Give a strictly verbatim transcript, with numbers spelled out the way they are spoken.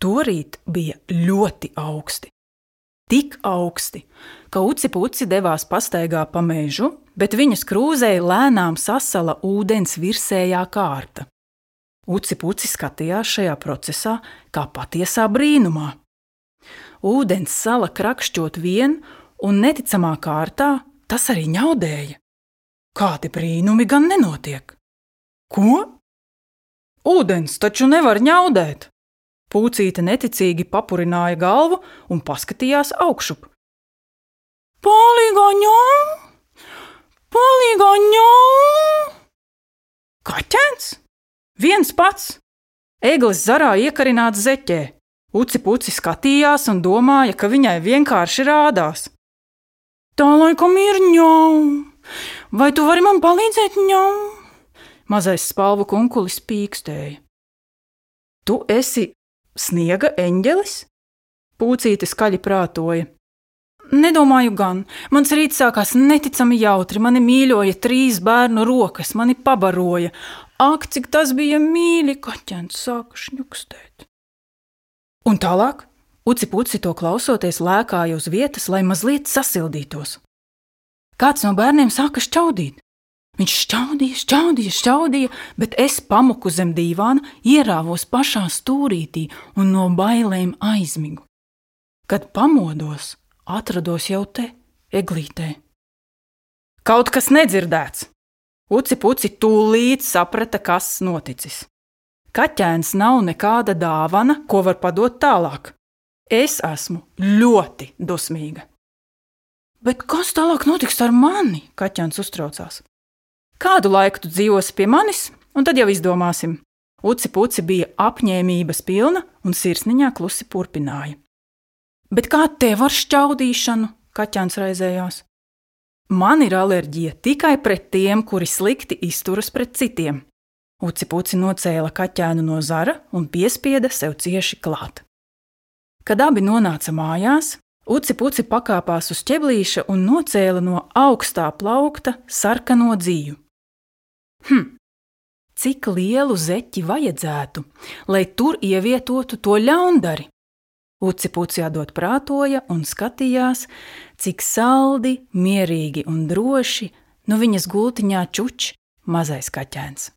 Torīt bija ļoti augsti. Tik augsti, ka Uci Puci devās pastaigā pa mežu, bet viņas krūzei lēnām sasala ūdens virsējā kārta. Uci Puci skatījās šajā procesā kā patiesā brīnumā. Ūdens sala krakšķot vien un neticamā kārtā tas arī ņaudēja. Kādi brīnumi gan nenotiek? Ko? Ūdens taču nevar ņaudēt! Pūcīte neticīgi papurināja galvu un paskatījās augšup. Palīgā ņau! Palīgā ņau! Kaķēns? Viens pats! Eglis zarā iekarināts zeķē. Uci Puci skatījās un domāja, ka viņai vienkārši rādās. Tā laikam ir ņau! Vai tu vari man palīdzēt, ņau? Mazais spalvu kunkulis pīkstēja. Tu esi sniega eņģelis? Pūcīte skaļi prātoja. Nedomāju gan. Mans rīts sākās neticami jautri. Mani mīļoja trīs bērnu rokas, mani pabaroja. Ak, cik tas bija mīļi, kaķēns sāka šņukstēt. Un tālāk Uci Puci to klausoties lēkāja uz vietas, lai mazliet sasildītos. Kāds no bērniem sāka šķaudīt. Viņš šķaudīja, šķaudīja, šķaudīja, bet es pamuku zem dīvāna, ierāvos pašā stūrītī un no bailēm aizmigu. Kad pamodos, atrados jau te, eglītē. Kaut kas nedzirdēts. Uci Puci tūlīt saprata, kas noticis. Kaķēns nav nekāda dāvana, ko var padot tālāk. Es esmu ļoti dusmīga. Bet kas tālāk notiks ar mani? Kaķēns uztraucās. Kādu laiku tu dzīvosi pie manis, un tad jau izdomāsim. Uci Puci bija apņēmības pilna un sirsniņā klusi purpināja. Bet kā tev ar šķaudīšanu? Kaķēns raizējās. Man ir alerģija tikai pret tiem, kuri slikti izturas pret citiem. Uci Puci nocēla kaķēnu no zara un piespieda sev cieši klāt. Kad abi nonāca mājās, Uci Puci pakāpās uz ķeblīša un nocēla no augstā plaukta sarkano dziju. Hm, cik lielu zeķi vajadzētu, lai tur ievietotu to ļaundari? Uci Puci atdot prātoja un skatījās, cik saldi, mierīgi un droši no viņas gultiņā čuč mazais kaķēns.